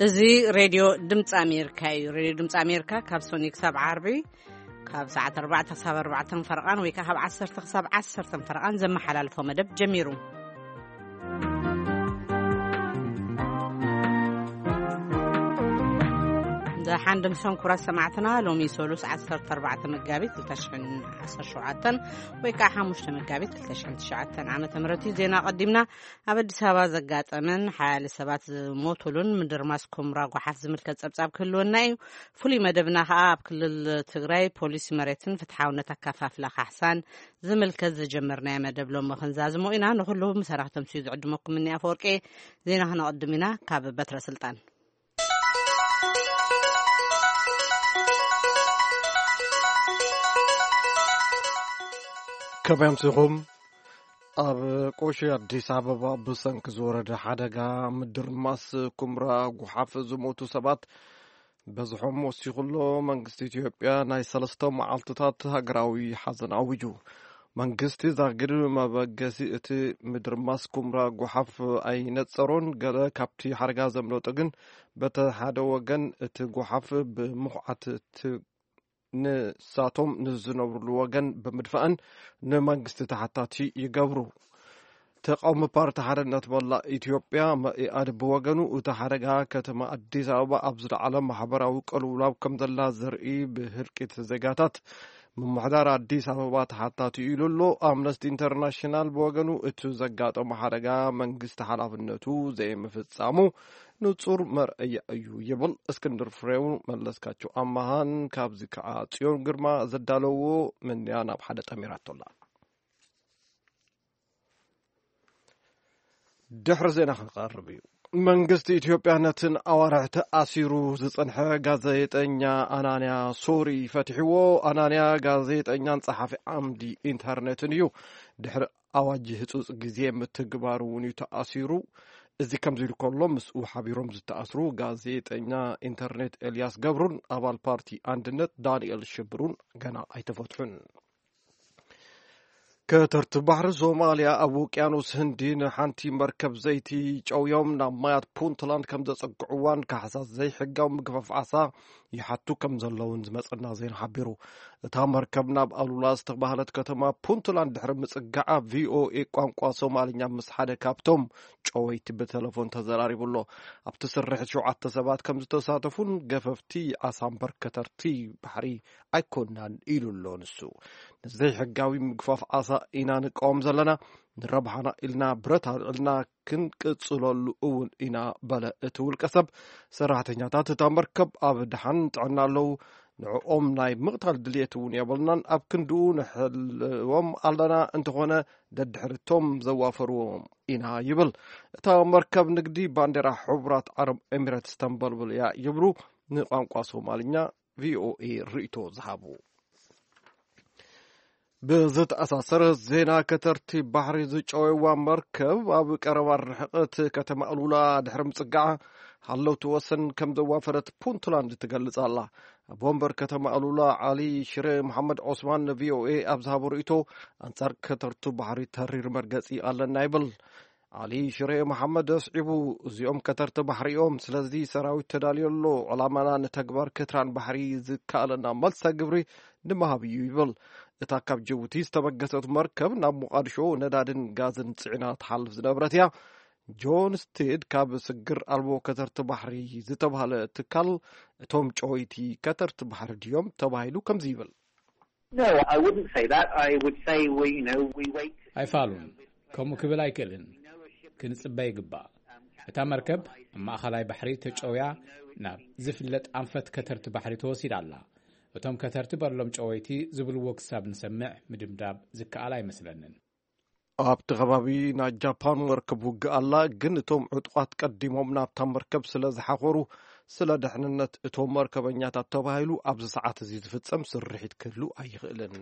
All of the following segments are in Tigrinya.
እዚ ሬድዮ ድምፂ ኣሜሪካ እዩ። ሬድዮ ድምፂ ኣሜሪካ ካብ ሶኒ ክሳብ ዓርቢ ካብ ሰዓት ኣርባዕተ ክሳብ ኣርባዕተን ፈረቓን ወይ ከዓ ካብ ዓሰርተ ክሳብ ዓሰርተን ፈረቓን ዘመሓላልፎ መደብ ጀሚሩ። ደሓን ድምሶም ክቡራት ሰማዕትና፣ ሎሚ ሰሉስ ዓሰርተ ኣርባዕተ መጋቢት ክልተ ሽሕን ዓሰርተ ሸውዓተን ወይ ከዓ ሓሙሽተ መጋቢት ክልተ ሽሕን ትሽዓተን ዓመተ ምህረት እዩ። ዜና ቀዲምና። ኣብ ኣዲስ ኣበባ ዘጋጠመን ሓያለ ሰባት ዝሞቱሉን ምድርማስ ኩምራ ጓሓፍ ዝምልከት ጸብጻብ ክህልወና እዩ። ፍሉይ መደብና ከኣ ኣብ ክልል ትግራይ ፖሊሲ መሬትን ፍትሓውነት ኣካፋፍላ ካሕሳን ዝምልከት ዝጀመርናዮ መደብ ሎሚ ክንዛዝሞ ኢና። ንኹሉ ምስ ኣራኽቶም ስዩ ዝዕድመኩም እኒ ኣፈወርቂ። ዜና ክነቕድም ኢና። ካብ በትረ ስልጣን። ከመይ ኣምሲኹም? ኣብ ቆሺ ኣዲስ ኣበባ ብሰንኪ ዝወረደ ሓደጋ ምድርማስ ኩምራ ጓሓፍ ዝሞቱ ሰባት በዝሖም ወሲኹ ኣሎ። መንግስቲ ኢትዮጵያ ናይ ሰለስተ መዓልትታት ሃገራዊ ሓዘን ኣዊጁ። መንግስቲ ዛጊድ መበገሲ እቲ ምድርማስ ኩምራ ጓሓፍ ኣይነጸሮን። ገለ ካብቲ ሓደጋ ዘምለጡ ግን በቲ ሓደ ወገን እቲ ጓሓፍ ብምኹዓት ት-፣ ንሳቶም ንዝነብሩሉ ወገን ብምድፋእን ንመንግስቲ ተሓታቲ ይገብሩ። ተቃውሚ ፓርቲ ሓርነት መላእ ኢትዮጵያ መኢኣድ ብወገኑ እቲ ሓደጋ ከተማ ኣዲስ ኣበባ ኣብ ዝለዓለ ማሕበራዊ ቅልውላው ከም ዘላ ዘርኢ ብህልቂት ዜጋታት ምምሕዳር ኣዲስ ኣበባ ተሓታቲ ኢሉ ኣሎ። ኣምነስቲ ኢንተርናሽናል ብወገኑ እቲ ዘጋጠመ ሓደጋ መንግስቲ ሓላፍነቱ ዘይምፍጻሙ ንጹር መርኣያ እዩ ይብል። እስክንድር ፍሬው፣ መለስካቸው ኣማሃን ካብዚ ከዓ ጽዮን ግርማ ዘዳለዎ ምንያ ናብ ሓደ ጠሚራቶላ። ድሕሪ ዜና ክቐርብ እዩ። መንግስቲ ኢትዮጵያ ነትን ኣዋርሕ ተኣሲሩ ዝጸንሐ ጋዜጠኛ ኣናንያ ሶሪ ፈቲሕዎ። ኣናንያ ጋዜጠኛን ጸሓፊ ዓምዲ ኢንተርኔትን እዩ። ድሕሪ ኣዋጅ ህጹጽ ግዜ ምትግባሩ እውን እዩ ተኣሲሩ። እዚ ከምዚ ኢሉ ከሎ፣ ምስኡ ሓቢሮም ዝተኣስሩ ጋዜጠኛ ኢንተርኔት ኤልያስ ገብሩን ኣባል ፓርቲ ኣንድነት ዳንኤል ሽብሩን ገና ኣይተፈትሑን። ከተርቲ ባሕሪ ሶማልያ ኣብ ውቅያኖስ ህንዲ ንሓንቲ መርከብ ዘይቲ ጨውዮም ናብ ማያት ፑንትላንድ ከም ዘጸግዕዋን ካሕሳ ዘይሕጋዊ ምግፋፍ ዓሳ ይሓቱ ከም ዘለውን ዝመጸና ዜና ሓቢሩ። እታ መርከብ ናብ ኣሉላ ዝተባህለት ከተማ ፑንትላንድ ድሕሪ ምጽጋዓ፣ ቪኦኤ ቋንቋ ሶማልኛ ምስ ሓደ ካብቶም ጨወይቲ ብተለፎን ተዘራሪቡ ኣሎ። ኣብቲ ስርሒት ሸውዓተ ሰባት ከም ዝተሳተፉን ገፈፍቲ ዓሳ እምበር ከተርቲ ባሕሪ ኣይኮናን ኢሉ ኣሎ ንሱ። ንዘይሕጋዊ ምግፋፍ ዓሳ ኢና ንቃወም ዘለና፣ ንረብሓና ኢልና ብረት ኣልዕልና ክንቅጽለሉ እውን ኢና በለ እቲ ውልቀ ሰብ። ሰራሕተኛታት እታ መርከብ ኣብ ደሓን ጥዕና ኣለዉ። ንዕኦም ናይ ምቕታል ድልየት እውን የብልናን። ኣብ ክንድኡ ንሕልዎም ኣለና፣ እንተኾነ ደድሕርቶም ዘዋፈርዎም ኢና ይብል። እታ መርከብ ንግዲ ባንዴራ ሕቡራት ዓረብ ኤሚሬትስ ተንበልብል እያ ይብሉ ንቋንቋ ሶማልኛ ቪኦኤ ርእይቶ ዝሃቡ። ብዝተኣሳሰረ ዜና፣ ከተርቲ ባሕሪ ዝጨወዋ መርከብ ኣብ ቀረባ ርሕቐት ከተማ ኣሉላ ድሕሪ ምጽጋዓ፣ ሃለውቲ ወሰን ከም ዘዋፈረት ፑንትላንድ ትገልጽ ኣላ። ኣብ ወንበር ከተማ ኣሉላ ዓሊ ሽረ መሓመድ ዖስማን ንቪኦኤ ኣብ ዝሃቦ ርእይቶ፣ ኣንጻር ከተርቱ ባሕሪ ተሪር መርገጺ ኣለና ይብል። ዓሊ ሽሬ መሓመድ ኣስዒቡ፣ እዚኦም ከተርቲ ባሕሪ እዮም፣ ስለዚ ሰራዊት ተዳልዮ ኣሎ። ዕላማና ንተግባር ክትራን ባሕሪ ዝከኣለና መልሰ ግብሪ ንምሃብ እዩ ይብል። እታ ካብ ጅቡቲ ዝተበገሰት መርከብ ናብ ሞቓድሾ ነዳድን ጋዝን ጽዒና ትሓልፍ ዝነበረት እያ። ጆን ስቴድ ካብ ስግር ኣልቦ ከተርቲ ባሕሪ ዝተባህለ ትካል፣ እቶም ጨወይቲ ከተርቲ ባሕሪ ድዮም ተባሂሉ ከምዚ ይብል። No, I wouldn't say that. I would say we, you know, we wait to see. ኣይፋሉን። ከምኡ ክብል ኣይክእልን። ክንጽበ ይግባእ። እታ መርከብ ኣብ ማእኸላይ ባሕሪ ተጨውያ ናብ ዝፍለጥ ኣንፈት ከተርቲ ባሕሪ ተወሲዳ ኣላ። እቶም ከተርቲ በሎም ጨወይቲ ዝብልዎ ክሳብ ንሰምዕ ምድምዳም ዝከኣል ኣይመስለንን። ኣብቲ ከባቢ ናይ ጃፓን መርከብ ውግእ ኣላ፣ ግን እቶም ዕጡቓት ቀዲሞም ናብታ መርከብ ስለ ዝሓኾሩ፣ ስለ ድሕንነት እቶም መርከበኛታት ተባሂሉ ኣብዚ ሰዓት እዚ ዝፍጸም ስርሒት ክህሉ ኣይኽእልን።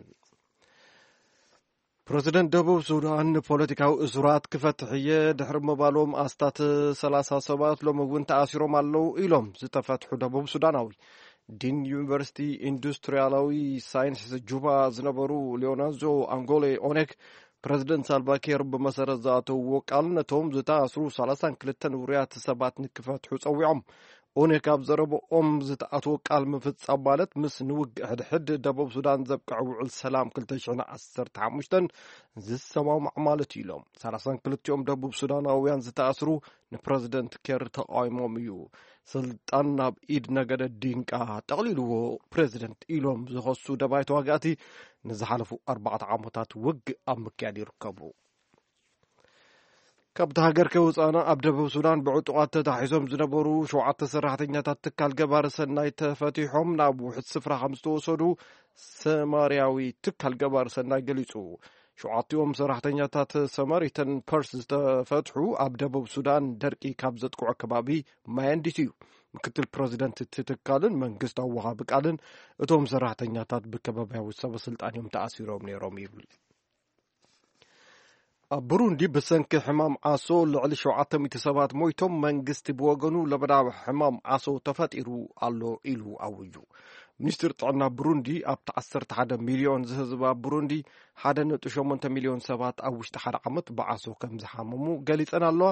ፕረዚደንት ደቡብ ሱዳን ንፖለቲካዊ እሱራት ክፈትሕ እየ ድሕሪ ምባሎም፣ ኣስታት ሰላሳ ሰባት ሎሚ እውን ተኣሲሮም ኣለዉ ኢሎም ዝተፈትሑ ደቡብ ሱዳናዊ ዲን ዩኒቨርሲቲ ኢንዱስትሪያላዊ ሳይንስ ጁባ ዝነበሩ ሊዮናርዶ ኣንጎሌ ኦኔክ፣ ፕረዚደንት ሳልቫኪር ብመሰረት ዝኣተውዎ ቃል ነቶም ዝተኣስሩ ሰላሳን ክልተን ውሩያት ሰባት ንክፈትሑ ጸዊዖም። ኦነ ካብ ዘረብኦም ዝተኣትዎ ቃል ምፍጻም ማለት ምስ ንውግእ ሕድሕድ ደቡብ ሱዳን ዘብቅዕ ውዕል ሰላም ክልተ ሽሕን ዓሰርተ ሓሙሽተን ዝሰማማዕ ማለት እዩ ኢሎም። ሰላሳን ክልቲኦም ደቡብ ሱዳናውያን ዝተኣስሩ ንፕረዚደንት ኬር ተቃዊሞም እዩ። ስልጣን ናብ ኢድ ነገደ ዲንቃ ጠቕሊልዎ ፕረዚደንት ኢሎም ዝኸሱ ደባይ ተዋጋእቲ ንዝሓለፉ ኣርባዕተ ዓመታት ውግእ ኣብ ምክያድ ይርከቡ። ካብቲ ሃገር ከይወጻእና ኣብ ደቡብ ሱዳን ብዕጡቓት ተታሒዞም ዝነበሩ ሸውዓተ ሰራሕተኛታት ትካል ገባሪ ሰናይ ተፈቲሖም ናብ ውሕድ ስፍራ ከም ዝተወሰዱ ሰማርያዊ ትካል ገባሪ ሰናይ ገሊጹ። ሸውዓቲኦም ሰራሕተኛታት ሰማሪተን ፐርስ ዝተፈትሑ ኣብ ደቡብ ሱዳን ደርቂ ካብ ዘጥቅዖ ከባቢ ማያንዲት እዩ። ምክትል ፕረዚደንት እቲ ትካልን መንግስታዊ ወሃቢ ቃልን እቶም ሰራሕተኛታት ብከባብያዊ ሰበ ስልጣን እዮም ተኣሲሮም ነይሮም ይብል። ኣብ ብሩንዲ ብሰንኪ ሕማም ዓሶ ልዕሊ ሸውዓተ ሚእቲ ሰባት ሞይቶም። መንግስቲ ብወገኑ ለበዳ ሕማም ዓሶ ተፈጢሩ ኣሎ ኢሉ ኣውጁ። ሚኒስትር ጥዕና ብሩንዲ ኣብቲ ዓሰርተ ሓደ ሚልዮን ዝህዝባ ብሩንዲ ሓደ ነጥቢ ሸሞንተ ሚልዮን ሰባት ኣብ ውሽጢ ሓደ ዓመት ብዓሶ ከም ዝሓመሙ ገሊጸን ኣለዋ።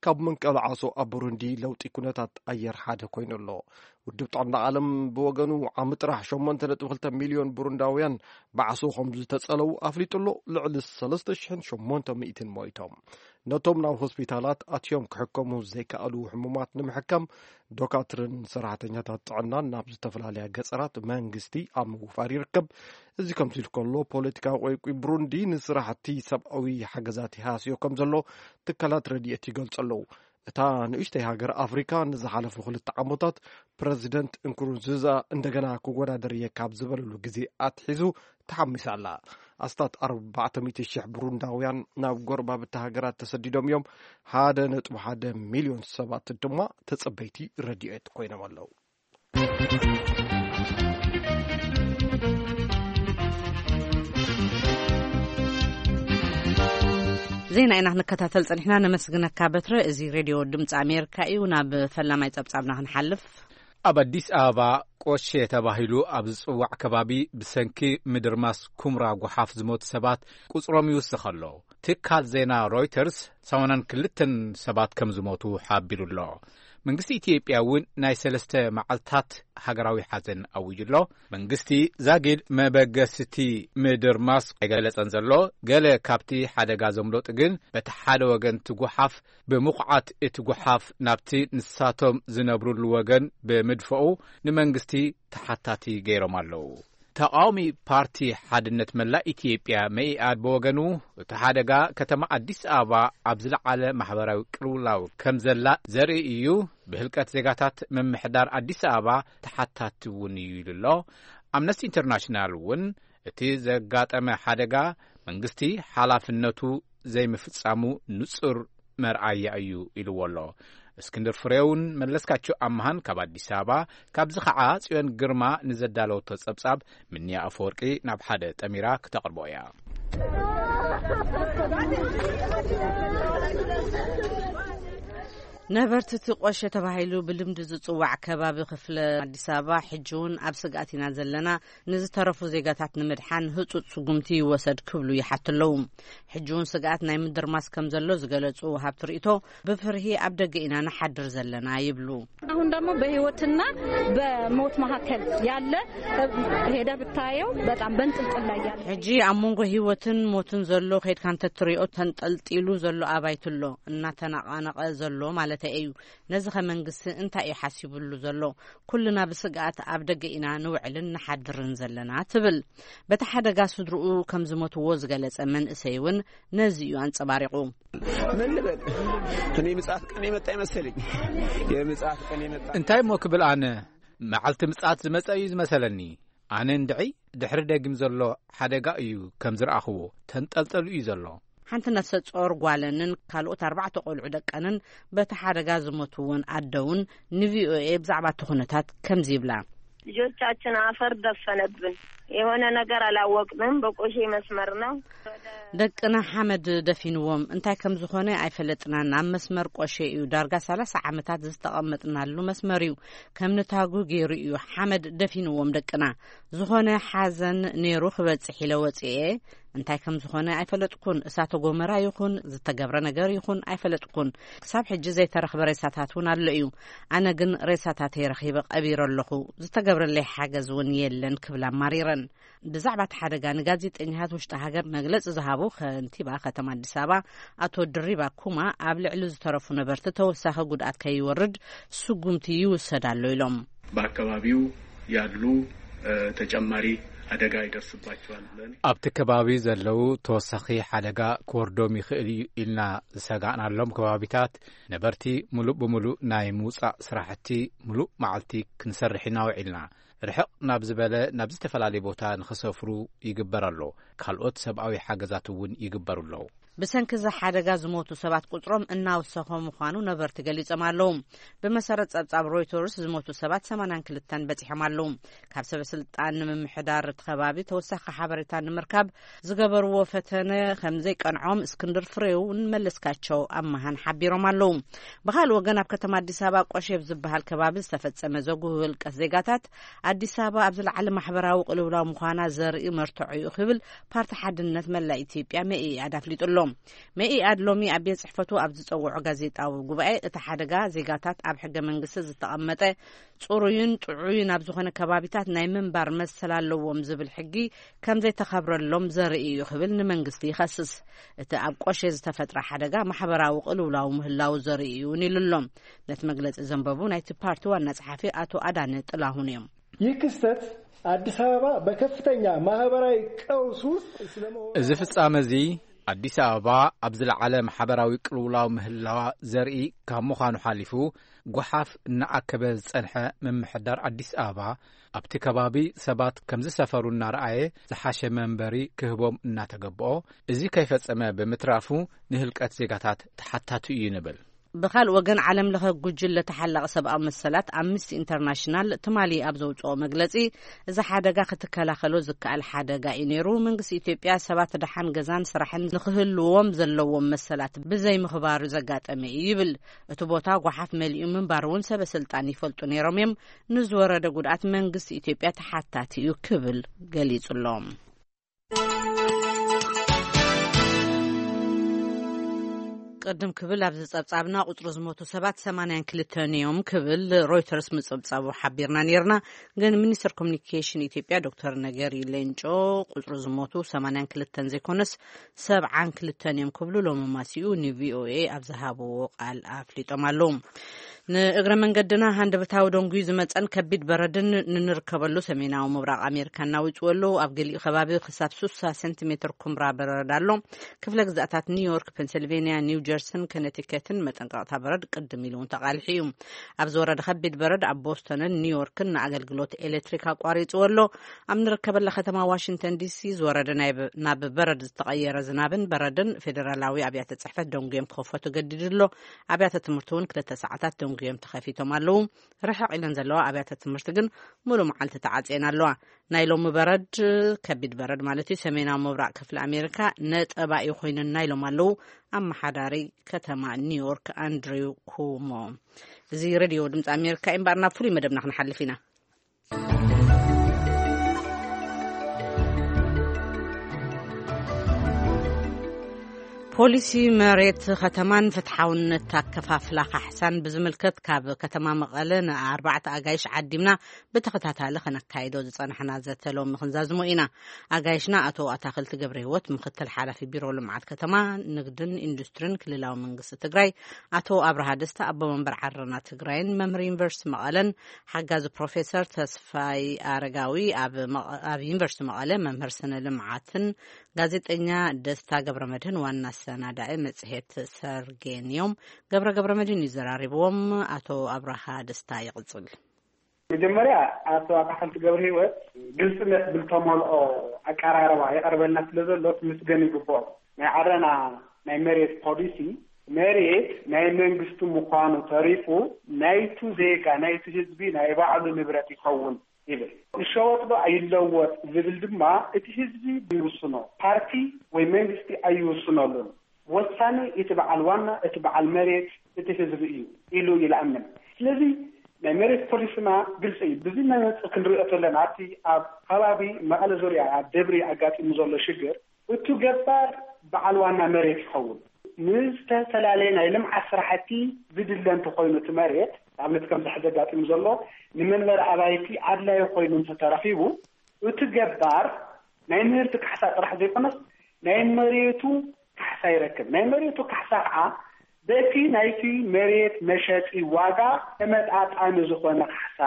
ካብ መንቀሊ ዓሶ ኣብ ብሩንዲ ለውጢ ኩነታት ኣየር ሓደ ኮይኑ ኣሎ። ውድብ ጥዕና ዓለም ብወገኑ ዓሚ ጥራሕ ሸሞንተ ነጥቢ ክልተ ሚልዮን ብሩንዳውያን ብዓሶ ከም ዝተጸለዉ ኣፍሊጡ ኣሎ። ልዕሊ ሰለስተ ሽሕን ሸሞንተ ሚእትን ሞይቶም። ነቶም ናብ ሆስፒታላት ኣትዮም ክሕከሙ ዘይከኣሉ ሕሙማት ንምሕካም ዶካትርን ሰራሕተኛታት ጥዕናን ናብ ዝተፈላለያ ገጸራት መንግስቲ ኣብ ምውፋር ይርከብ። እዚ ከምዚ ኢሉ ከሎ ፖለቲካዊ ቆይቁይ ብሩንዲ ንስራሕቲ ሰብኣዊ ሓገዛት ይሃስዮ ከም ዘሎ ትካላት ረድኤት ይገልጹ ኣለዉ። እታ ንእሽተይ ሃገር ኣፍሪካ ንዝሓለፉ ክልተ ዓመታት ፕረዚደንት እንኩሩንዙዛ እንደገና ክወዳደር እየ ካብ ዝበለሉ ግዜ ኣትሒዙ ተሓሚሳ ኣላ። ኣስታት ኣርባዕተ ሚእቲ ሽሕ ብሩንዳውያን ናብ ጎረባብቲ ሃገራት ተሰዲዶም እዮም። ሓደ ነጥቢ ሓደ ሚልዮን ሰባት ድማ ተጸበይቲ ረድኤት ኮይኖም ኣለዉ። ዜና ኢና ክንከታተል ጸኒሕና። ነመስግነካ በትረ። እዚ ሬድዮ ድምፂ ኣሜሪካ እዩ። ናብ ፈላማይ ጸብጻብና ክንሓልፍ። ኣብ ኣዲስ ኣበባ ቆሼ ተባሂሉ ኣብ ዝጽዋዕ ከባቢ ብሰንኪ ምድርማስ ኩምራ ጓሓፍ ዝሞቱ ሰባት ቁጽሮም ይውስኽ ኣሎ። ትካል ዜና ሮይተርስ ሰማንያን ክልተን ሰባት ከም ዝሞቱ ሓቢሩ ኣሎ። መንግስቲ ኢትዮጵያ እውን ናይ ሰለስተ መዓልታት ሃገራዊ ሓዘን ኣዊጁ ኣሎ። መንግስቲ ዛጊድ መበገስቲ ምድርማስ ኣይገለጸን ዘሎ። ገለ ካብቲ ሓደጋ ዘምለጡ ግን በቲ ሓደ ወገን እቲ ጓሓፍ ብምኹዓት እቲ ጓሓፍ ናብቲ ንሳቶም ዝነብሩሉ ወገን ብምድፈኡ ንመንግስቲ ተሓታቲ ገይሮም ኣለዉ። ተቓዋሚ ፓርቲ ሓድነት መላእ ኢትዮጵያ መኢኣድ ብወገኑ እቲ ሓደጋ ከተማ ኣዲስ ኣበባ ኣብ ዝለዓለ ማሕበራዊ ቅልውላው ከም ዘላ ዘርኢ እዩ፣ ብህልቀት ዜጋታት ምምሕዳር ኣዲስ ኣበባ ተሓታቲ እውን እዩ ኢሉ ኣሎ። ኣምነስቲ ኢንተርናሽናል እውን እቲ ዘጋጠመ ሓደጋ መንግስቲ ሓላፍነቱ ዘይምፍጻሙ ንጹር መርኣያ እዩ ኢልዎ ኣሎ። እስክንድር ፍሬውን መለስካቸው ኣምሃን ካብ ኣዲስ ኣበባ፣ ካብዚ ኸዓ ጽዮን ግርማ ንዘዳለወቶ ጸብጻብ ምንያ ኣፈወርቂ ናብ ሓደ ጠሚራ ክተቕርቦ እያ። ነበርቲ እቲ ቆሸ ተባሂሉ ብልምዲ ዝጽዋዕ ከባቢ ክፍለ ኣዲስ ኣበባ ሕጂ እውን ኣብ ስግኣት ኢና ዘለና፣ ንዝተረፉ ዜጋታት ንምድሓን ህጹጽ ስጉምቲ ይወሰድ ክብሉ ይሓቱ ኣለዉ። ሕጂ እውን ስግኣት ናይ ምድርማስ ከም ዘሎ ዝገለጹ ወሃብቲ ርእይቶ፣ ብፍርሂ ኣብ ደገ ኢና ንሓድር ዘለና ይብሉ። አሁን ደግሞ በህይወትና በሞት መካከል ያለ ሄደ ብታየው በጣም በንጥልጥል ላይ ያለ ሕጂ ኣብ መንጎ ህይወትን ሞትን ዘሎ ከይድካ እንተትሪኦ ተንጠልጢሉ ዘሎ ኣባይቲ ኣሎ፣ እናተነቓነቐ ዘሎ ማለት እዩ። ነዚ ከ መንግስቲ እንታይ እዩ ሓሲቡሉ ዘሎ? ኩልና ብስግኣት ኣብ ደገ ኢና ንውዕልን ንሓድርን ዘለና ትብል። በቲ ሓደጋ ስድርኡ ከም ዝሞትዎ ዝገለጸ መንእሰይ እውን ነዚ እዩ ኣንጸባሪቑ። ምን ልበል? እኔ ምጽኣት ቀን የመጣ ይመስለኝ። የምጽኣት ቀን የመጣ እንታይ እሞ ክብል ኣነ? መዓልቲ ምጽኣት ዝመጸ እዩ ዝመሰለኒ። ኣነ እንድዒ ድሕሪ ደጊም ዘሎ ሓደጋ እዩ ከም ዝረኣኽዎ፣ ተንጠልጠሉ እዩ ዘሎ። ሓንቲ ነፍሰ ጾር ጓለንን ካልኦት ኣርባዕተ ቆልዑ ደቀንን በቲ ሓደጋ ዝሞቱ እውን ኣደውን ንቪኦኤ ብዛዕባ እቲ ኩነታት ከምዚ ይብላ። ልጆቻችን አፈር ደፈነብን። የሆነ ነገር አላወቅንም። በቆሼ መስመር ነው። ደቅና ሓመድ ደፊንዎም። እንታይ ከም ዝኾነ ኣይፈለጥናን። ኣብ መስመር ቆሼ እዩ። ዳርጋ ሰላሳ ዓመታት ዝተቐመጥናሉ መስመር እዩ። ከም ንታጉ ገይሩ እዩ። ሓመድ ደፊንዎም ደቅና። ዝኾነ ሓዘን ነይሩ ክበጽሕ ኢለ ወጽኤ። እንታይ ከም ዝኾነ ኣይፈለጥኩን። እሳተ ጎመራ ይኹን ዝተገብረ ነገር ይኹን ኣይፈለጥኩን። ክሳብ ሕጂ ዘይተረኽበ ሬሳታት እውን ኣሎ እዩ። ኣነ ግን ሬሳታተይ ረኺበ ቀቢረ ኣለኹ። ዝተገብረለይ ሓገዝ እውን የለን ክብል ኣማሪረን። ብዛዕባ እቲ ሓደጋ ንጋዜጠኛታት ውሽጢ ሃገር መግለጺ ዝሃቡ ከንቲባ ከተማ ኣዲስ ኣበባ ኣቶ ድሪባ ኩማ፣ ኣብ ልዕሊ ዝተረፉ ነበርቲ ተወሳኺ ጉድኣት ከይወርድ ስጉምቲ ይውሰድ ኣሎ ኢሎም። በአካባቢው ያሉ ተጨማሪ አደጋ ይደርስባቸዋል ብለን ኣብቲ ከባቢ ዘለዉ ተወሳኺ ሓደጋ ክወርዶም ይኽእል እዩ ኢልና ዝሰጋእናሎም ከባቢታት ነበርቲ ሙሉእ ብሙሉእ ናይ ምውፃእ ስራሕቲ ሙሉእ መዓልቲ ክንሰርሕ ኢና ውዒልና። ርሕቕ ናብ ዝበለ ናብ ዝተፈላለየ ቦታ ንኽሰፍሩ ይግበር ኣሎ። ካልኦት ሰብኣዊ ሓገዛት እውን ይግበሩ ኣለዉ። ብሰንኪ እዚ ሓደጋ ዝሞቱ ሰባት ቁፅሮም እናወሰኸ ምዃኑ ነበርቲ ገሊጾም ኣለዉ። ብመሰረት ጸብጻብ ሮይተርስ ዝሞቱ ሰባት ሰማንያን ክልተን በጺሖም ኣለዉ። ካብ ሰበ ስልጣን ንምምሕዳር እቲ ከባቢ ተወሳኺ ሓበሬታ ንምርካብ ዝገበርዎ ፈተነ ከም ዘይቀንዖም እስክንድር ፍሬውን መለስካቸው ኣማሃን ሓቢሮም ኣለዉ። ብኻልእ ወገን ኣብ ከተማ ኣዲስ ኣበባ ቆሼብ ዝበሃል ከባቢ ዝተፈጸመ ዘጉህ ህልቀት ዜጋታት ኣዲስ ኣበባ ኣብ ዝለዓለ ማሕበራዊ ቅልውላው ምዃና ዘርኢ መርትዖ እዩ ክብል ፓርቲ ሓድነት መላእ ኢትዮጵያ መኢኣድ ኣፍሊጡ ኣሎ። መኢኣድ ሎሚ ኣብ ቤት ጽሕፈቱ ኣብ ዝጸውዖ ጋዜጣዊ ጉባኤ እቲ ሓደጋ ዜጋታት ኣብ ሕገ መንግስቲ ዝተቐመጠ ጽሩይን ጥዑይን ኣብ ዝኾነ ከባቢታት ናይ ምንባር መሰል ኣለዎም ዝብል ሕጊ ከም ዘይተኸብረሎም ዘርኢ እዩ ክብል ንመንግስቲ ይኸስስ። እቲ ኣብ ቆሼ ዝተፈጥረ ሓደጋ ማሕበራዊ ቅልውላው ምህላው ዘርኢ እዩ እውን ኢሉ ኣሎ። ነቲ መግለጺ ዘንበቡ ናይቲ ፓርቲ ዋና ጸሓፊ ኣቶ ኣዳነ ጥላሁን እዮም። ይህ ክስተት አዲስ አበባ በከፍተኛ ማህበራዊ ቀውስ ውስጥ ስለመሆኑ እዚ ፍጻመ እዚ ኣዲስ ኣበባ ኣብ ዝለዓለ ማሕበራዊ ቅልውላው ምህላዋ ዘርኢ ካብ ምዃኑ ሓሊፉ፣ ጓሓፍ እናኣከበ ዝጸንሐ ምምሕዳር ኣዲስ ኣበባ ኣብቲ ከባቢ ሰባት ከም ዝሰፈሩ እናረኣየ ዝሓሸ መንበሪ ክህቦም እናተገብኦ፣ እዚ ከይፈጸመ ብምትራፉ ንህልቀት ዜጋታት ተሓታቲ እዩ ንብል። ብኻልእ ወገን ዓለም ለኸ ጉጅለ ተሓላቒ ሰብኣዊ መሰላት ኣምነስቲ ኢንተርናሽናል ትማሊ ኣብ ዘውፅኦ መግለፂ እዚ ሓደጋ ክትከላኸሎ ዝከኣል ሓደጋ እዩ ነይሩ። መንግስቲ ኢትዮጵያ ሰባት ደሓን ገዛን ስራሕን ንክህልዎም ዘለዎም መሰላት ብዘይምኽባሩ ዘጋጠመ እዩ ይብል። እቲ ቦታ ጓሓፍ መሊኡ ምንባር እውን ሰበ ስልጣን ይፈልጡ ነይሮም እዮም። ንዝወረደ ጉድኣት መንግስቲ ኢትዮጵያ ተሓታቲ እዩ ክብል ገሊጹ ኣሎ። ቅድም ክብል ኣብዚ ጸብጻብና ቁጽሪ ዝሞቱ ሰባት ሰማንያን ክልተን እዮም ክብል ሮይተርስ ምጽብጻቡ ሓቢርና ነርና። ግን ሚኒስትር ኮሚኒኬሽን ኢትዮጵያ ዶክተር ነገሪ ሌንጮ ቁጽሪ ዝሞቱ ሰማንያን ክልተን ዘይኮነስ ሰብዓን ክልተን እዮም ክብሉ ሎሚ ማሲኡ ንቪኦኤ ኣብ ዝሃብዎ ቃል ኣፍሊጦም ኣለዉ። ንእግረ መንገድና ሃንደበታዊ ደንጉዩ ዝመጸን ከቢድ በረድን ንንርከበሉ ሰሜናዊ ምብራቕ ኣሜሪካ እናውጽኡ ኣለዉ። ኣብ ገሊኡ ከባቢ ክሳብ ሱሳ ሴንቲሜትር ኩምራ በረድ ኣሎ። ክፍለ ግዛኣታት ኒውዮርክ፣ ፔንሲልቬንያ፣ ኒው ጀርሲን ከነቲከትን መጠንቀቕታ በረድ ቅድም ኢሉ እውን ተቓሊሑ እዩ። ኣብ ዝወረደ ከቢድ በረድ ኣብ ቦስቶንን ኒውዮርክን ንኣገልግሎት ኤሌክትሪክ ኣቋሪጹ ኣሎ። ኣብ ንርከበላ ከተማ ዋሽንግተን ዲሲ ዝወረደ ናይ ብ- ናብ በረድ ዝተቐየረ ዝናብን በረድን ፌደራላዊ ኣብያተ ጽሕፈት ደንጉዮም ክኸፈቱ ገዲዱ ኣሎ። ኣብያተ ትምህርቲ እውን ክልተ ሰዓታት ደንጉዮም ተኸፊቶም ኣለዉ። ርሕቕ ኢለን ዘለዋ ኣብያተ ትምህርቲ ግን ሙሉ መዓልቲ ተዓጽየን ኣለዋ። ናይ ሎሚ በረድ፣ ከቢድ በረድ ማለት እዩ፣ ሰሜናዊ ምብራቕ ክፍሊ ኣሜሪካ ነጠባኢ ኮይነና ኢሎም ኣለዉ ኣመሓዳሪ ከተማ ኒውዮርክ ኣንድሪው ኩሞ። እዚ ሬድዮ ድምፂ ኣሜሪካ እዩ። እምበኣር ናብ ፍሉይ መደብና ክንሓልፍ ኢና። ፖሊሲ መሬት ከተማን ፍትሓውነት ኣከፋፍላ ካሕሳን ብዝምልከት ካብ ከተማ መቐለ ንኣርባዕተ ኣጋይሽ ዓዲምና ብተኸታታሊ ከነካይዶ ዝጸናሕና ዘተ ሎሚ ክንዛዝሞ ኢና። ኣጋይሽና ኣቶ ኣታኽልቲ ገብረ ህይወት ምክትል ሓላፊ ቢሮ ልምዓት ከተማ፣ ንግድን ኢንዱስትሪን ክልላዊ መንግስቲ ትግራይ፣ ኣቶ ኣብርሃ ደስታ ኣቦ መንበር ዓረና ትግራይን መምህር ዩኒቨርሲቲ መቐለን ሓጋዚ ፕሮፌሰር ተስፋይ ኣረጋዊ ኣብ መቐ- ኣብ ዩኒቨርሲቲ መቐለ መምህር ስነ ልምዓትን ጋዜጠኛ ደስታ ገብረ መድህን ዋና ኣሰናዳኢ መጽሔት ሰርጌን እዮም። ገብረ ገብረ መድህን እዩ ዘራሪብዎም። ኣቶ ኣብርሃ ደስታ ይቕጽል። መጀመርያ ኣቶ ኣታኽልቲ ገብረ ህይወት ግልፅነት ብልተመልኦ ኣቀራርባ የቐርበልና ስለ ዘሎ ክምስገን ይግብኦ። ናይ ዓረና ናይ መሬት ፖሊሲ መሬት ናይ መንግስቲ ምዃኑ ተሪፉ ናይቱ ዜጋ ናይቲ ህዝቢ ናይ ባዕሉ ንብረት ይኸውን ይብል። ይሸወጥ ዶ ኣይለወጥ ዝብል ድማ እቲ ህዝቢ ይውስኖ፣ ፓርቲ ወይ መንግስቲ ኣይውስነሉን። ወሳኒ እቲ በዓል ዋና እቲ በዓል መሬት እቲ ህዝቢ እዩ ኢሉ ይልኣምን። ስለዚ ናይ መሬት ፖሊስና ግልፂ እዩ። ብዚ መነፅር ክንሪኦ ተለና ኣብቲ ኣብ ከባቢ መቐለ ዙርያ ኣብ ደብሪ ኣጋጢሙ ዘሎ ሽግር እቱ ገባር በዓል ዋና መሬት ይኸውን። ንዝተፈላለየ ናይ ልምዓት ስራሕቲ ዝድለ እንተኾይኑ እቲ መሬት፣ ንኣብነት ከምዚ ሕዚ ኣጋጢሙ ዘሎ ንመንበሪ ኣባይቲ ኣድላዪ ኮይኑ እንተተረኺቡ፣ እቲ ገባር ናይ ምህርቲ ካሕሳ ጥራሕ ዘይኮነስ ናይ መሬቱ ካሕሳ ይረክብ። ናይ መሬቱ ካሕሳ ከዓ በቲ ናይቲ መሬት መሸጢ ዋጋ ተመጣጣኒ ዝኾነ ካሕሳ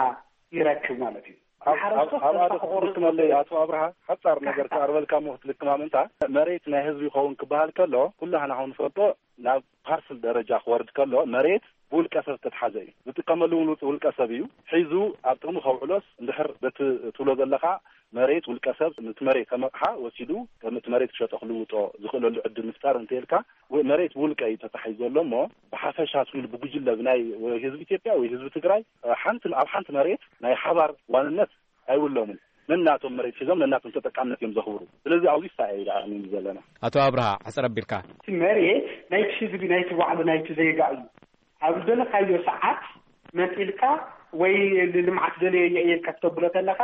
ይረክብ ማለት እዩ። ኣብ- ኣብ- ኣብኣ ዶ ክትልክመለይ ኣቶ ኣብርሃ? ሓጻር ነገር ክኣርበልካ እሞ ክትልክማ ምእንታ፣ መሬት ናይ ህዝቢ ይኸውን ክበሃል ከሎ፣ ኩላህና ኸው ንፈልጦ፣ ናብ ፓርስል ደረጃ ክወርድ ከሎ መሬት ብውልቀ ሰብ ዝተትሓዘ እዩ። ዝጥቀመሉ እውን ውልቀ ሰብ እዩ። ሒዙ ኣብ ጥቕሚ ከውዕሎስ እንድሕር በቲ ትብሎ ዘለኻ መሬት ውልቀ ሰብ ነቲ መሬት ከም ኣቕሓ ወሲዱ ከም እቲ መሬት ክሸጦ ክልውጦ ዝኽእለሉ ዕድል ምፍጣር እንተይልካ፣ መሬት ብውልቀ እዩ ተታሒዙ ዘሎ እሞ ብሓፈሻ ትብል ብጉጅለ ብናይ ወይ ህዝቢ ኢትዮጵያ ወይ ህዝቢ ትግራይ ሓንቲ ኣብ ሓንቲ መሬት ናይ ሓባር ዋንነት ኣይብሎምን። ነናቶም መሬት ሒዞም ነናቶም ተጠቃምነት እዮም ዘኽብሩ። ስለዚ ኣብዚ ሳኤ ኢና ዘለና። ኣቶ ኣብርሃ ሕፅር ኣቢልካ። እቲ መሬት ናይቲ ህዝቢ፣ ናይቲ ባዕሉ፣ ናይቲ ዜጋ እዩ። ኣብ ዝደለካዮ ሰዓት መፂልካ ወይ ልምዓት ደለየ እየ ኢልካ ክተብሎ ተለካ፣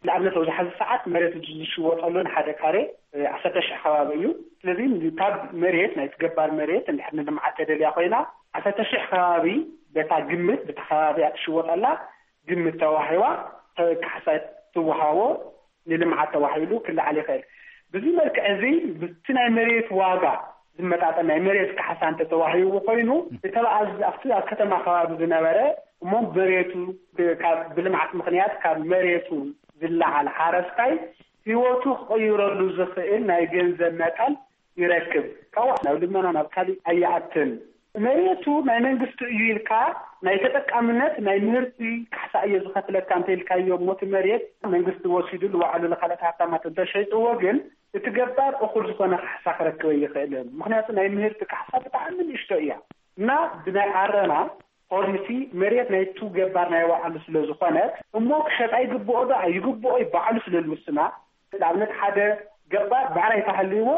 ንኣብነት ኣብዚ ሓዚ ሰዓት መሬት ዝሽወጠሉ ንሓደ ካሬ ዓሰርተ ሽሕ ከባቢ እዩ። ስለዚ ካብ መሬት ናይቲ ገባር መሬት እንድሕር ንልምዓት ተደልያ ኮይና ዓሰርተ ሽሕ ከባቢ በታ ግምት ብቲ ከባቢያ ትሽወጠላ ግምት ተዋሂባ ካሕሳ ትወሃቦ ንልምዓት ተባሂሉ ክለዓል ይኽእል። ብዚ መልክዕ እዚ ብቲ ናይ መሬት ዋጋ ዝመጣጠን ናይ መሬት ካሕሳ እንተተዋሂቡ ኮይኑ እተበኣዝ ኣብቲ ኣብ ከተማ ከባቢ ዝነበረ እሞ መሬቱ ካብ ብልምዓት ምኽንያት ካብ መሬቱ ዝለዓል ሓረስታይ ህይወቱ ክቕይረሉ ዝኽእል ናይ ገንዘብ መጠን ይረክብ። ካብኡ ናብ ልመና ናብ ካሊእ ኣይኣትን። መሬቱ ናይ መንግስቲ እዩ ኢልካ ናይ ተጠቃምነት ናይ ምህርቲ ካሕሳ እየ ዝኸፍለካ እንተ ኢልካዮ እሞ እቲ መሬት መንግስቲ ወሲዱ ንባዕሉ ንካልኦት ሃብታማት እንተሸይጥዎ ግን እቲ ገባር እኹል ዝኾነ ካሕሳ ክረክብ ኣይኽእልን። ምክንያቱ ናይ ምህርቲ ካሕሳ ብጣዕሚ ንእሽቶ እያ እና ብናይ ዓረና ፖሊሲ መሬት ናይቱ ገባር ናይ ባዕሉ ስለ ዝኾነት እሞ ክሸጣ ይግብኦ ዶ ኣይግብኦ ባዕሉ ስለ ዝውስና ንኣብነት ሓደ ገባር ብዕራይ ተሃልይዎ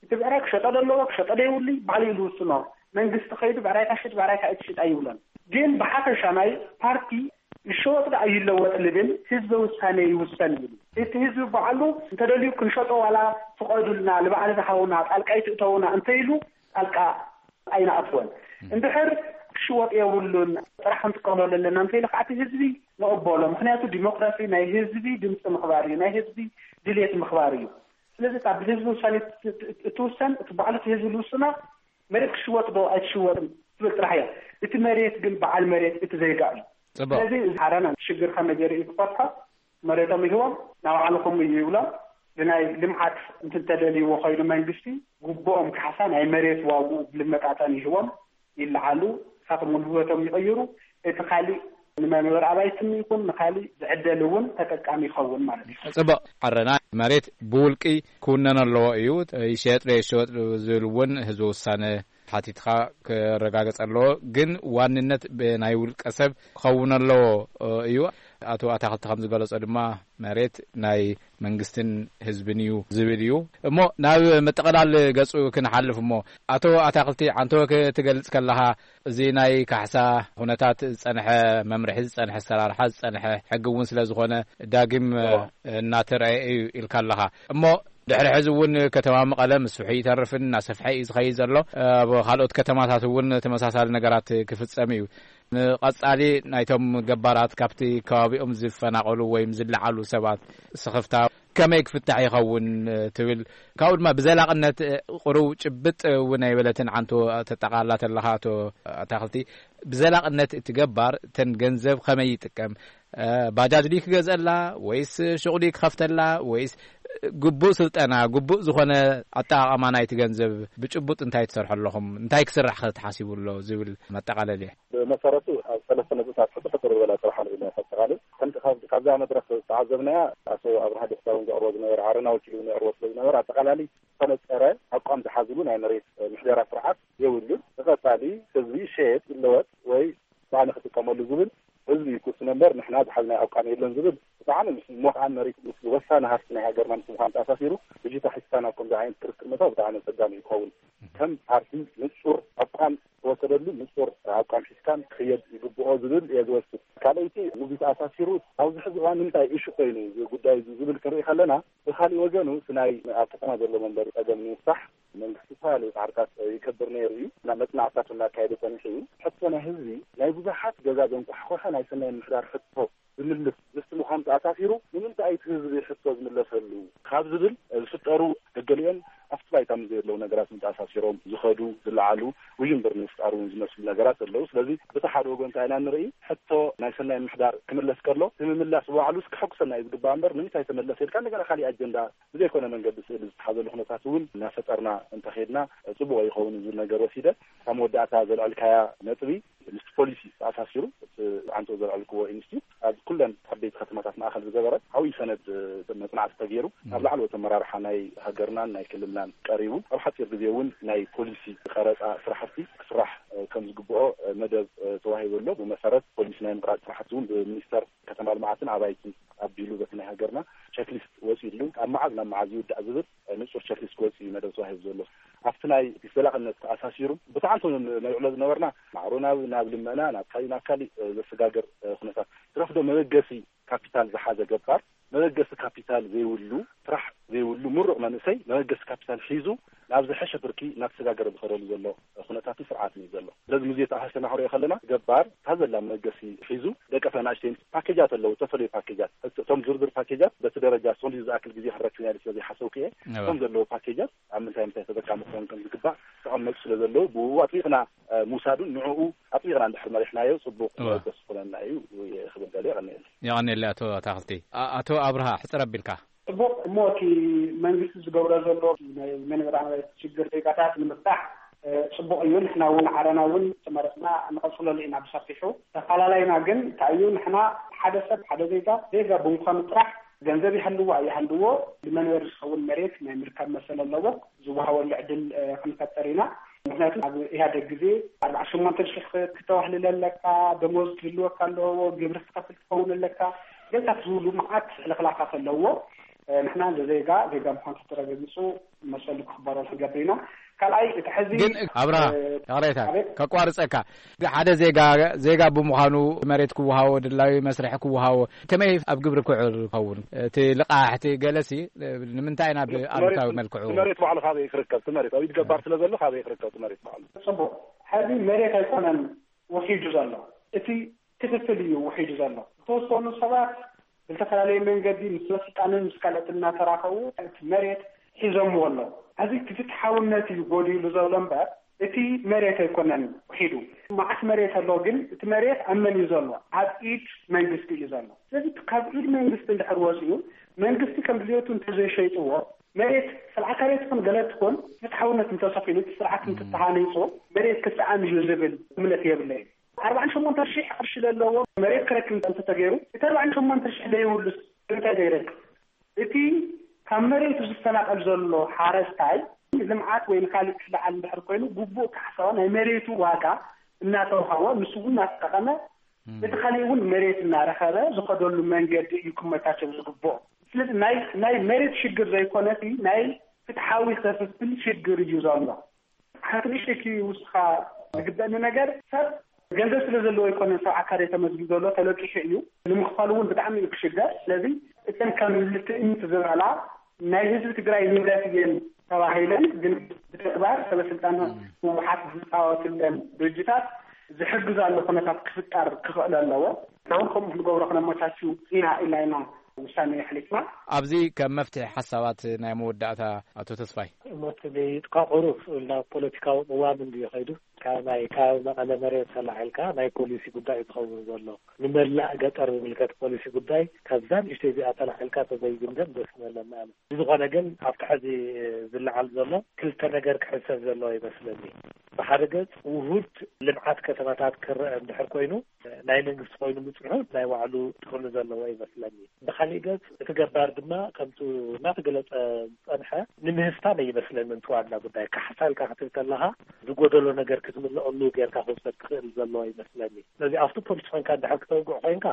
እቲ ብዕራይ ክሸጦ ዘለዎ ክሸጦ ደይብሉ ባዕሉ እዩ ዝውስኖ። መንግስቲ ከይዱ ብዕራይ ካሽጥ ብዕራይ ካይትሽጥ ኣይብሎን። ግን ብሓፈሻ ናይ ፓርቲ ይሸወጥ ዶ ኣይለወጥ ልብል ህዝበ ውሳነ ይውሰን ይብል። እቲ ህዝቢ ባዕሉ እንተደልዩ ክንሸጦ ዋላ ፍቐዱልና ንባዕሊ ዝሃቡና ጣልቃ ይትእተውና እንተኢሉ ጣልቃ ኣይንኣትወን። እንድሕር ክሽወጥ የብሉን ጥራሕ ክንጥቀመሉ ኣለና እንተኢሉ ከዓ እቲ ህዝቢ ንቕበሎ። ምክንያቱ ዲሞክራሲ ናይ ህዝቢ ድምፂ ምኽባር እዩ፣ ናይ ህዝቢ ድልየት ምኽባር እዩ። ስለዚ እታ ብህዝቢ ውሳኔ እትውሰን እቲ ባዕሉ እቲ ህዝቢ ዝውስና መሬት ክሽወጥ ዶ ኣይትሽወጥን ትብል ጥራሕ እያ። እቲ መሬት ግን በዓል መሬት እቲ ዜጋ እዩ። ፅቡቅ። ስለዚ እዚ ሓረና ሽግር ከመይ ገይሩ እዩ ክፈትሖ? መሬቶም ይህቦም ናባዕልኹም እዩ ይብሎም። ብናይ ልምዓት እንትተደልይዎ ኮይኑ መንግስቲ ግቡኦም ካሕሳ ናይ መሬት ዋግኡ ብልመጣጠን ይህቦም ይለዓሉ። ንሳቶም እውን ህይወቶም ይቕይሩ። እቲ ካሊእ ንመንበሪ ኣባይትን ይኹን ንካሊእ ዝዕደል እውን ተጠቃሚ ይኸውን ማለት እዩ። ፅቡቕ። ዓረና መሬት ብውልቂ ክውነን ኣለዎ እዩ። ይሸየጥ ዶ ይሸወጥ ዝብል እውን ህዝቢ ውሳነ ሓቲትካ ክረጋገፅ ኣለዎ። ግን ዋንነት ብናይ ውልቀ ሰብ ክኸውን ኣለዎ እዩ። ኣቶ ኣታክልቲ ከም ዝገለጾ ድማ መሬት ናይ መንግስትን ህዝብን እዩ ዝብል እዩ። እሞ ናብ መጠቐላል ገጹ ክንሓልፍ እሞ ኣቶ ኣታክልቲ ዓንተወ ክትገልጽ ከለኻ እዚ ናይ ካሕሳ ኩነታት ዝጸንሐ መምርሒ ዝጸንሐ ኣሰራርሓ ዝጸንሐ ሕጊ እውን ስለ ዝኾነ ዳግም እናተረኣየ እዩ ኢልካ ኣለኻ። እሞ ድሕሪ ሕዚ እውን ከተማ መቐለ ምስፍሑ ይተርፍን እናሰፍሐ እዩ ዝኸይድ ዘሎ። ኣብ ካልኦት ከተማታት እውን ተመሳሳሊ ነገራት ክፍጸም እዩ። ንቐጻሊ ናይቶም ገባራት ካብቲ ከባቢኦም ዝፈናቐሉ ወይም ዝለዓሉ ሰባት ስኽፍታ ከመይ ክፍታሕ ይኸውን ትብል? ካብኡ ድማ ብዘላቕነት ቁሩብ ጭብጥ እውን ኣይበለትን ዓንቶ ተጠቓላ ተለኻ ኣቶ ኣታኽልቲ፣ ብዘላቕነት እቲ ገባር እተን ገንዘብ ከመይ ይጥቀም? ባጃጅ ድዩ ክገዝአላ ወይስ ሹቕ ድዩ ክኸፍተላ ወይስ ግቡእ ስልጠና፣ ግቡእ ዝኾነ ኣጠቓቕማ ናይቲ ገንዘብ ብጭቡጥ እንታይ ትሰርሑ ኣለኹም? እንታይ ክስራሕ ከ ተሓሲቡ ኣሎ ዝብል መጠቓለሊ። ብመሰረቱ ኣብ ሰለስተ ነጥብታት ሕጽር ሕጽር ዝበላ ጥራሕ ንብል ኢና ከጠቓልል። ከምቲ ካብ- ካብዛ መድረኽ ዝተዓዘብናያ ኣቶ ኣብርሃ ደስታ እውን ዘቕርቦ ዝነበረ ዓረና ወኪሉ እውን የቕርቦ ስለ ዝነበረ ኣጠቓላሊ ዝተነጸረ ኣቋም ዝሓዝሉ ናይ መሬት ምሕደራ ስርዓት የብሉን። ንቐጻሊ ህዝቢ ሸየጥ ይለወጥ ወይ ባዕሉ ክጥቀመሉ ዝብል ህዝቢ እዩ ክውስኖ እምበር ንሕና ዝሓዝናዮ ኣቋም የለን ዝብል እቲ ብዓነ ምስ ሞት መሬት ምስ ወሳኒ ሃፍቲ ናይ ሃገርና ምስ ምዃኑ ተኣሳሲሩ ብጅታ ሒዝካ ናብ ከምዚ ዓይነት ክርክር ምእታው ብጣዕሚ ኣጸጋሚ ይኸውን። ከም ፓርቲ ንጹር ኣቋም ዝተወሰደሉ ንጹር ኣቋም ሒዝካን ክኽየድ ይግብኦ ዝብል እየ ዝወስድ። ካልኣይቲ ምስዚ ተኣሳሲሩ ኣብዚ ሕዚ እዋን ንምንታይ ኢሹ ኮይኑ እዚ ጉዳይ እዚ ዝብል ክንርኢ ከለና፣ ብኻሊእ ወገኑ እቲ ናይ ኣብ ከተማ ዘሎ መንበሪ ጸገም ንምፍታሕ መንግስቲ ዝተፈላለዩ ጻዕርታት ይገብር ነይሩ እዩ። ናብ መጽናዕትታት እናካየደ ጸኒሑ እዩ። ሕቶ ናይ ህዝቢ ናይ ብዙሓት ገዛ ዘንኳሕኮሐ ናይ ሰናይ ምምሕዳር ሕቶ ዝምልስ ምስቲ ምዃኑ ተኣሳሲሩ ንምንታይ እቲ ህዝቢ ሕቶ ዝምለሰሉ ካብ ዝብል ዝፍጠሩ ገገሊኦም ኣብቲ ባይታ ምስ ዘየለዉ ነገራት ተኣሳሲሮም ዝኸዱ ዝለዓሉ ውዥንብር ንምፍጣር እውን ዝመስሉ ነገራት ኣለዉ። ስለዚ በቲ ሓደ ወገን እንታይ ኢና ንርኢ? ሕቶ ናይ ሰናይ ምምሕዳር ክምለስ ከሎ እቲ ምምላስ ባዕሉስ ከሐጉሰና እዩ ዝግባእ እምበር ንምንታይ ተመለሰ ኢልካ እንደገና ካሊእ ኣጀንዳ ብዘይኮነ መንገዲ ስእሊ ዝተሓዘሉ ኩነታት እውን እናፈጠርና እንተኸድና ጽቡቕ ይኸውን ዝብል ነገር ወሲደ። ካብ መወዳእታ ዘልዐልካያ ነጥቢ ምስቲ ፖሊሲ ተኣሳሲሩ እቲ ዓንቶ ዘልዐልክዎ ኢንስቲትዩት ኣብ ኩለን ዓበይቲ ከተማታት ማእኸል ዝገበረ ዓብዪ ሰነድ መፅናዕቲ ተገይሩ ናብ ላዕለዎት ኣመራርሓ ናይ ሃገርናን ናይ ክልልናን ቀሪቡ ኣብ ሓፂር ግዜ እውን ናይ ፖሊሲ ቀረፃ ስራሕቲ ክስራሕ ከም ዝግብኦ መደብ ተዋሂቡ ኣሎ። ብመሰረት ፖሊሲ ናይ ምቕራፅ ስራሕቲ እውን ብሚኒስተር ከተማ ልምዓትን ኣባይትን ኣቢሉ በቲ ናይ ሃገርና ቸክሊስት ወፂኡ ኣሎ። ካብ መዓዝ ናብ መዓዝ ይውዳእ ዝብል ንፁር ቸክሊስት ክወፅእ እዩ መደብ ተዋሂቡ ዘሎ። ኣብቲ ናይ ዘላቕነት ተኣሳሲሩ ብተዓንቶ ነልዕሎ ዝነበርና ማዕሮ ናብ ናብ ልመና ናብ ካሊእ ናብ ካሊእ ዘሰጋግር ኩነታት ትረፍዶ መበገሲ ካፒታል ዝሓዘ ገባር መበገሲ ካፒታል ዘይብሉ ጥራሕ ዘይብሉ ምሩቕ መንእሰይ መበገሲ ካፒታል ሒዙ ናብ ዝሐሸ ብርኪ እናተሰጋገረ ዝኸደሉ ዘሎ ኩነታትን ስርዓትን እዩ ዘሎ። ስለዚ ሙዜ ተኣሳሰና ክንሪኦ ከለና ገባር እታ ዘላ መበገሲ ሒዙ ደቀፈ ናእሽተይን ፓኬጃት ኣለዉ። ዝተፈላለዩ ፓኬጃት እቶም ዝርዝር ፓኬጃት በቲ ደረጃ ሶሊ ዝኣክል ግዜ ክረክብ ያለ ስለዘይሓሰብኩ እየ። እቶም ዘለዉ ፓኬጃት ኣብ ምንታይ ምንታይ ተጠቃሚ ክኾኑ ከም ዝግባእ ተቐመጡ ስለ ዘለዉ ብኡ ኣጥቢቕና ምውሳዱን ንዕኡ ኣጥቢቕና እንድሕር መሪሕናዮ ጽቡቕ መበገሲ ክኾነና እዩ ክብል ደልየ። ቀኒየሉ። የቐንየለይ ኣቶ ኣታኽልቲ። ኣቶ ኣብርሃ ሕጽር ኣቢልካ። ጽቡቕ እሞ እቲ መንግስቲ ዝገብሮ ዘሎ ናይ መንበራዊ ሽግር ዜጋታት ንምፍታሕ ጽቡቕ እዩ። ንሕና እውን ዓረና እውን ተመረፅና ንቐፅለሉ ኢና ብሰፊሑ። ተፈላለይና ግን እንታይ እዩ ንሕና ሓደ ሰብ ሓደ ዜጋ ዜጋ ብምዃኑ ጥራሕ ገንዘብ ይሃልዎ ኣይሃልዎ ንመንበሪ ዝኸውን መሬት ናይ ምርካብ መሰል ኣለዎ። ዝወሃበሉ ዕድል ክንፈጥር ኢና። ምክንያቱ ኣብ ኢህኣደግ ግዜ ኣርባዓ ሸሞንተ ሽሕ ክተዋህልል ኣለካ፣ ደሞዝ ክህልወካ ኣለዎ፣ ግብሪ ክትከፍል ትኸውን ኣለካ። ገታት ዝብሉ መዓት ሕልኽላኻት ኣለዎ። ንሕና እንደ ዜጋ ዜጋ ምኳን ተረጋጊፁ መሰሉ ክኽበረሉ ክንገብር ኢና። ካልኣይ እቲ ሕዚ ግን ኣብራ ይቕሬታ ከቋርፀካ ሓደ ዜጋ ዜጋ ብምዃኑ መሬት ክወሃቦ ድላዊ መስርሒ ክወሃቦ ከመይ ኣብ ግብሪ ክውዕል ይኸውን? እቲ ልቓሕ እቲ ገለሲ ንምንታይ ኢና ብኣሉታዊ መልክዑ መሬት ባዕሉ ካበይ ክርከብ? እቲ መሬት ኣብ ኢድ ገባር ስለ ዘሎ ካበይ ክርከብ? እቲ መሬት ባዕሉ ጽቡቕ። ሕዚ መሬት ኣይኮነን ውሒዱ ዘሎ፣ እቲ ክፍፍል እዩ ውሒዱ ዘሎ። ዝተወሰኑ ሰባት ብዝተፈላለየ መንገዲ ምስ ስልጣንን ምስ ካልኦት እናተራኸቡ እቲ መሬት ሒዞምዎ ኣለዉ። ሕዚ እቲ ፍትሓውነት እዩ ጎዲሉ ዘሎ እምበር እቲ መሬት ኣይኮነን ውሒዱ። መዓት መሬት ኣሎ፣ ግን እቲ መሬት ኣብ መን እዩ ዘሎ? ኣብ ኢድ መንግስቲ እዩ ዘሎ። ስለዚ ካብ ኢድ መንግስቲ እንድሕር ወፂኡ መንግስቲ ከም ድልየቱ እንተዘይሸይጥዎ መሬት ሰብዓ ካሬ ትኹን ገለ ትኹን ፍትሓውነት እንተሰፊኑ እቲ ስርዓት እንትተሃኒፁ መሬት ክሰኣን እዩ ዝብል እምነት የብለይ። ኣርባዓን ሸሞንተ ሽሕ ቅርሺ ዘለዎ መሬት ክረክብ እንተተገይሩ እቲ ኣርባዓን ሸሞንተ ሽሕ ዘይብሉስ እንታይ ዘይረክብ? እቲ ካብ መሬቱ ዝፈናቐል ዘሎ ሓረስታይ ልምዓት ወይ ንካሊእ ክለዓል እንድሕር ኮይኑ ግቡእ ካሕሳዋ ናይ መሬቱ ዋጋ እናተውሃቦ ንሱ እውን እናተጠቐመ እቲ ካሊእ እውን መሬት እናረኸበ ዝኸደሉ መንገዲ እዩ ክመቻቸው ዝግብኦ። ስለዚ ናይ ናይ መሬት ሽግር ዘይኮነሲ ናይ ፍትሓዊ ክፍፍል ሽግር እዩ ዘሎ። ሓንቲ ንእሽተይ ውስኻ ዝግበእኒ ነገር ሰብ ገንዘብ ስለ ዘለዎ ኣይኮነን ሰብዓ ካሬ ተመዝጊቡ ዘሎ ተለቂሑ እዩ ንምኽፋሉ እውን ብጣዕሚ እዩ ክሽገር። ስለዚ እተን ከም ልትእምት ዝበላ ናይ ህዝቢ ትግራይ ንብረት እየን ተባሂለን ግን ብተግባር ሰበስልጣን ህወሓት ዝፃወትለን ድርጅታት ዝሕግዛሉ ኩነታት ክፍጠር ክኽእል ኣለዎ። ንሕና እውን ከምኡ ክንገብሮ ክነመቻችው ኢና ኢልና ኢና ውሳነ ኣሕሊፍና። ኣብዚ ከም መፍትሒ ሓሳባት ናይ መወዳእታ ኣቶ ተስፋይ። እሞ እቲ ዘይጥቃቐሩ ናብ ፖለቲካዊ ቅዋም እንድዩ ከይዱ ካብ ናይ ካብ መቐለ መሬት ተላዒልካ ናይ ፖሊሲ ጉዳይ እዩ ዝኸውን ዘሎ። ንመላእ ገጠር ዝምልከት ፖሊሲ ጉዳይ ካብዛ ንእሽተይ እዚኣ ተላዒልካ ተዘይግምገም ደስ ምበለና ኣነ። ብዝኾነ ግን ኣብቲ ሕዚ ዝለዓል ዘሎ ክልተ ነገር ክሕሰብ ዘለዎ ይመስለኒ። ብሓደ ገጽ ውሁድ ልምዓት ከተማታት ክረአ እንድሕር ኮይኑ ናይ መንግስቲ ኮይኑ ምጽንሑ ናይ ባዕሉ ጥቕሚ ዘለዎ ይመስለኒ። ብኻሊእ ገጽ እቲ ገባር ድማ ከምቱ እናተገለጸ ዝጸንሐ ንምህስታን ኣይመስለንን እቲ ዋና ጉዳይ። ካሕሳ ኢልካ ክትብል ከለኻ ዝጎደሎ ነገር ክትምልኣሉ ጌርካ ክውሰድ ክኽእል ዘለዎ ይመስለኒ። ስለዚ ኣብቲ ፖሊሲ ኮይንካ እንድሕር ክተውግዕ ኮይንካ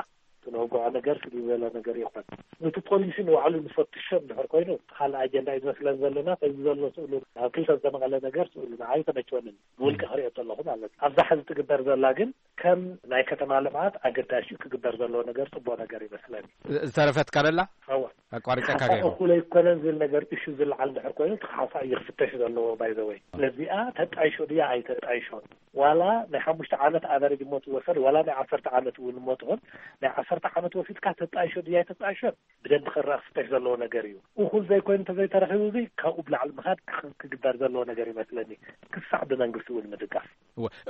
ክነውግዖ ነገር ስለ ዝበለ ነገር ይኾን። ነቲ ፖሊሲ ንባዕሉ ንፈትሾ እንድሕር ኮይኑ፣ እቲ ካልእ ኣጀንዳ እዩ ዝመስለን ዘለና። እዚ ዘሎ ስእሉ ኣብ ክልተ ዝተመቐለ ነገር ስእሉ ንዓይ ተመችወንን ብውልቂ ክሪኦ ዘለኹ ማለት እዩ። ኣብዛ ሕዚ ትግበር ዘላ ግን ከም ናይ ከተማ ልምዓት ኣገዳሽ እዩ። ክግበር ዘለዎ ነገር ጽቡቕ ነገር ይመስለኒ። ዝተረፈት ካለላ ኣዋ ኣቋሪጸካ ሓሳብ ገይሩ እኩል ኣይኮነን ዝብል ነገር እሹ ዝለዓል እንድሕር ኮይኑ፣ እቲ ሓሳብ እዩ ክፍተሽ ዘለዎ። ባይዘወይ ነዚኣ ተጣይሾ ድያ ኣይተጣይሾን፣ ዋላ ናይ ሓሙሽተ ዓመት ኣቨሬጅ እሞ ትወሰድ፣ ዋላ ናይ ዓሰርተ ዓመት እውን እሞ ትኹን፣ ናይ ዓሰርተ ዓመት ወሲድካ ተጣይሾ ድያ ኣይተጣይሾን ብደንብ ክረኣ ክፍተሽ ዘለዎ ነገር እዩ። እኹል ዘይኮይኑ እንተዘይተረኺቡ፣ እዚ ካብኡ ብላዕሊ ምኻድ ክግበር ዘለዎ ነገር ይመስለኒ፣ ክሳዕ ብመንግስቲ እውን ምድጋፍ።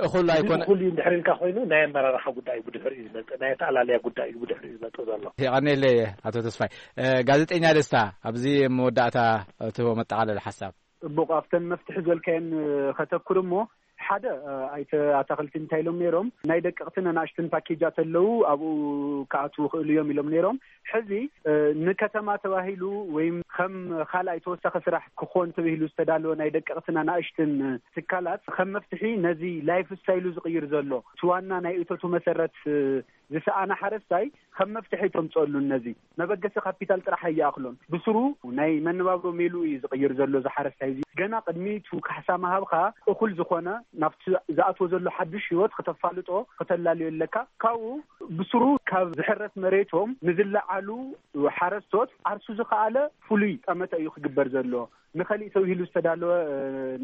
እኹል ኣይኮነ እኹል እዩ እንድሕር ኢልካ ኮይኑ፣ ናይ ኣመራርሓ ጉዳይ እዩ ብድሕሪኡ ዝመጽእ፣ ናይ ኣተኣላልያ ጉዳይ እዩ ብድሕሪኡ ዝመጽእ ዘሎ። የቐኔለይ ኣቶ ተስፋይ። ጋዜጠኛ ደስታ፣ ኣብዚ መወዳእታ እትህቦ መጠቓለሊ ሓሳብ። እሞ ኣብተን መፍትሒ ዝበልካየን ከተኩር እሞ፣ ሓደ ኣይተ ኣታክልቲ እንታይ ኢሎም ነይሮም፣ ናይ ደቀቕትን ኣናእሽትን ፓኬጃት ኣለዉ፣ ኣብኡ ክኣትዉ ክእሉ እዮም ኢሎም ነይሮም። ሕዚ ንከተማ ተባሂሉ ወይም ከም ካልኣይ ተወሳኺ ስራሕ ክኾን ተባሂሉ ዝተዳለወ ናይ ደቀቕትን ኣናእሽትን ትካላት ከም መፍትሒ ነዚ ላይፍ ስታይሉ ዝቕይር ዘሎ፣ እቲ ዋና ናይ እቶቱ መሰረት ዝሰኣነ ሓረስታይ ከም መፍትሒ ተምፀሉን፣ ነዚ መበገሲ ካፒታል ጥራሕ ኣይኣኽሎን፣ ብስሩ ናይ መነባብሮ ሜሉ እዩ ዝቕይር ዘሎ። እዚ ሓረስታይ እዚ ገና ቅድሚ እቲ ካሕሳ ምሃብካ እኹል ዝኾነ ናብቲ ዝኣትዎ ዘሎ ሓዱሽ ህይወት ክተፋልጦ ክተላልዮ ኣለካ። ካብኡ ብስሩ ካብ ዝሕረስ መሬቶም ንዝለዓሉ ሓረስቶት ዓርሱ ዝኸኣለ ፍሉይ ጠመተ እዩ ክግበር ዘሎ። ንኸሊእ ተባሂሉ ዝተዳለወ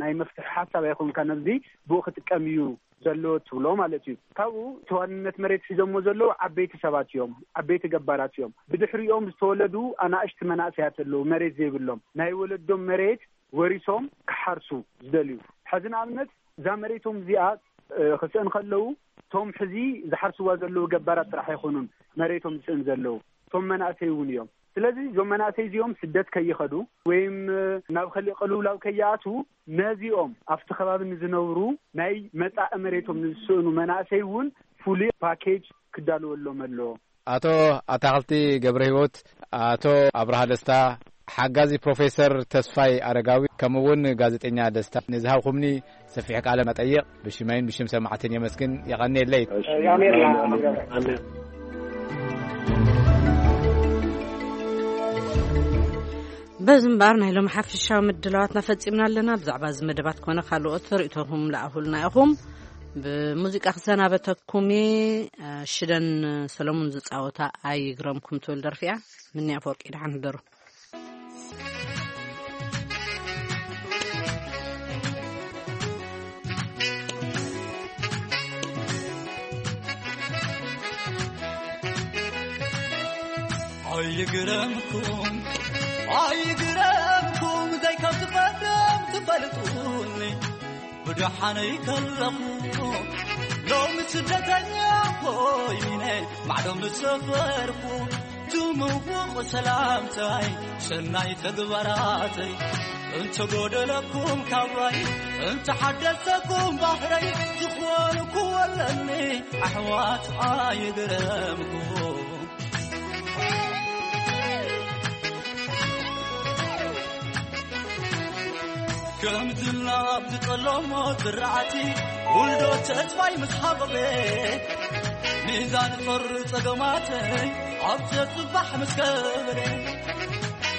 ናይ መፍትሒ ሓሳብ ኣይኮንካ ነዚ ብኡ ክጥቀም እዩ ዘለዎ ትብሎ ማለት እዩ። ካብኡ ተዋንነት መሬት ሒዞሞ ዘለዉ ዓበይቲ ሰባት እዮም፣ ዓበይቲ ገባራት እዮም። ብድሕሪኦም ዝተወለዱ ኣናእሽቲ መናእሰያት ኣለዉ፣ መሬት ዘይብሎም። ናይ ወለዶም መሬት ወሪሶም ክሓርሱ ዝደልዩ። ሕዚ ንኣብነት እዛ መሬቶም እዚኣ ክስእን ከለዉ፣ እቶም ሕዚ ዝሓርስዋ ዘለዉ ገባራት ጥራሕ ኣይኮኑን መሬቶም ዝስእን ዘለዉ፣ እቶም መናእሰይ እውን እዮም። ስለዚ እዞም መናእሰይ እዚኦም ስደት ከይኸዱ ወይም ናብ ከሊእ ቅልውላው ከይኣትዉ፣ ነዚኦም ኣብቲ ከባቢ ንዝነብሩ ናይ መጻኢ መሬቶም ንዝስእኑ መናእሰይ እውን ፍሉይ ፓኬጅ ክዳለወሎም ኣለዎ። ኣቶ ኣታኽልቲ ገብረ ህይወት፣ ኣቶ ኣብርሃ ደስታ፣ ሓጋዚ ፕሮፌሰር ተስፋይ ኣረጋዊ፣ ከምኡ እውን ጋዜጠኛ ደስታ፣ ንዝሃብኩምኒ ሰፊሕ ቃለ መጠይቕ ብሽመይን ብሽም ሰማዕትን የመስግን። የቐንየለይ። በዚ እምበኣር ናይ ሎሚ ሓፊሻዊ ምድላዋትና ፈጺምና ኣለና። ብዛዕባ እዚ መደባት ኮነ ካልኦት ርእይቶኹም ለኣኹልና ኢኹም። ብሙዚቃ ክሰናበተኩም እየ። ሽደን ሰለሙን ዝጻወታ ኣይግረምኩም ትብል ደርፊ እያ። ምንያ ኣፈወርቂ፣ ደሓን ህደሩ። ኣይግረምኩም ኣይግረምኩም፣ ዘይከም ዝፈርም ትፈልጡኒ። ብደሓነይ ከለኹ ሎሚ ስደተኛ ኮይነ ማዕዶ ምስ ሰፈርኩ፣ ትምውቕ ሰላምታይ ሰናይ ተግባራተይ፣ እንተጎደለኩም ካባይ እንተሓደሰኩም ባህረይ፣ ዝኾንኩዎ ኣለኒ ኣሕዋት ኣይግረምኩም። ከምድላ ብዝጠለሞ ዝራእቲ ውልዶ ተስፋይ ምስ ሃበበ፣ ሚዛን ጦር ጸገማተይ ኣብ ተጽባሕ ምስ ከበረ፣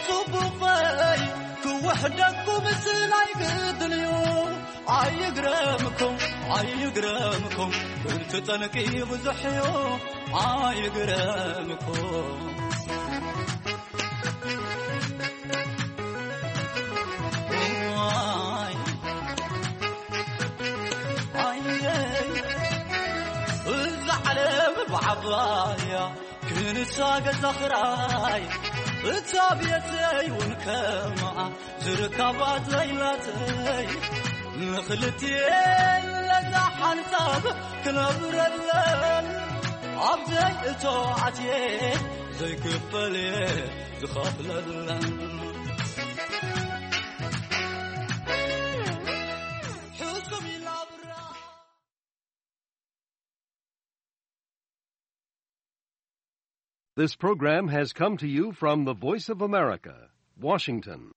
ጽቡቐይ ክውሕደኩም ስለ ኣይግድን እዩ። ኣይግረምኩም ኣይግረምኩም፣ ብርቱ ጠንቂ ብዙሕ እዩ። ኣይግረምኩም። እዛ ዓለም ብዓባያ ክንሳ ገዛ ኽራይ፣ እታ ቤተይ እውን ከምኣ ዝርካባ ዘይላተይ፣ ንኽልቲኤን ለዛ ሓንሳብ ክነብረለን፣ ኣብዘይ እቶ ኣትየ ዘይክፈል እየ ዝኸፍለለን። ሕሱም ኢላ ብራ This program has come to you from the Voice of America, Washington.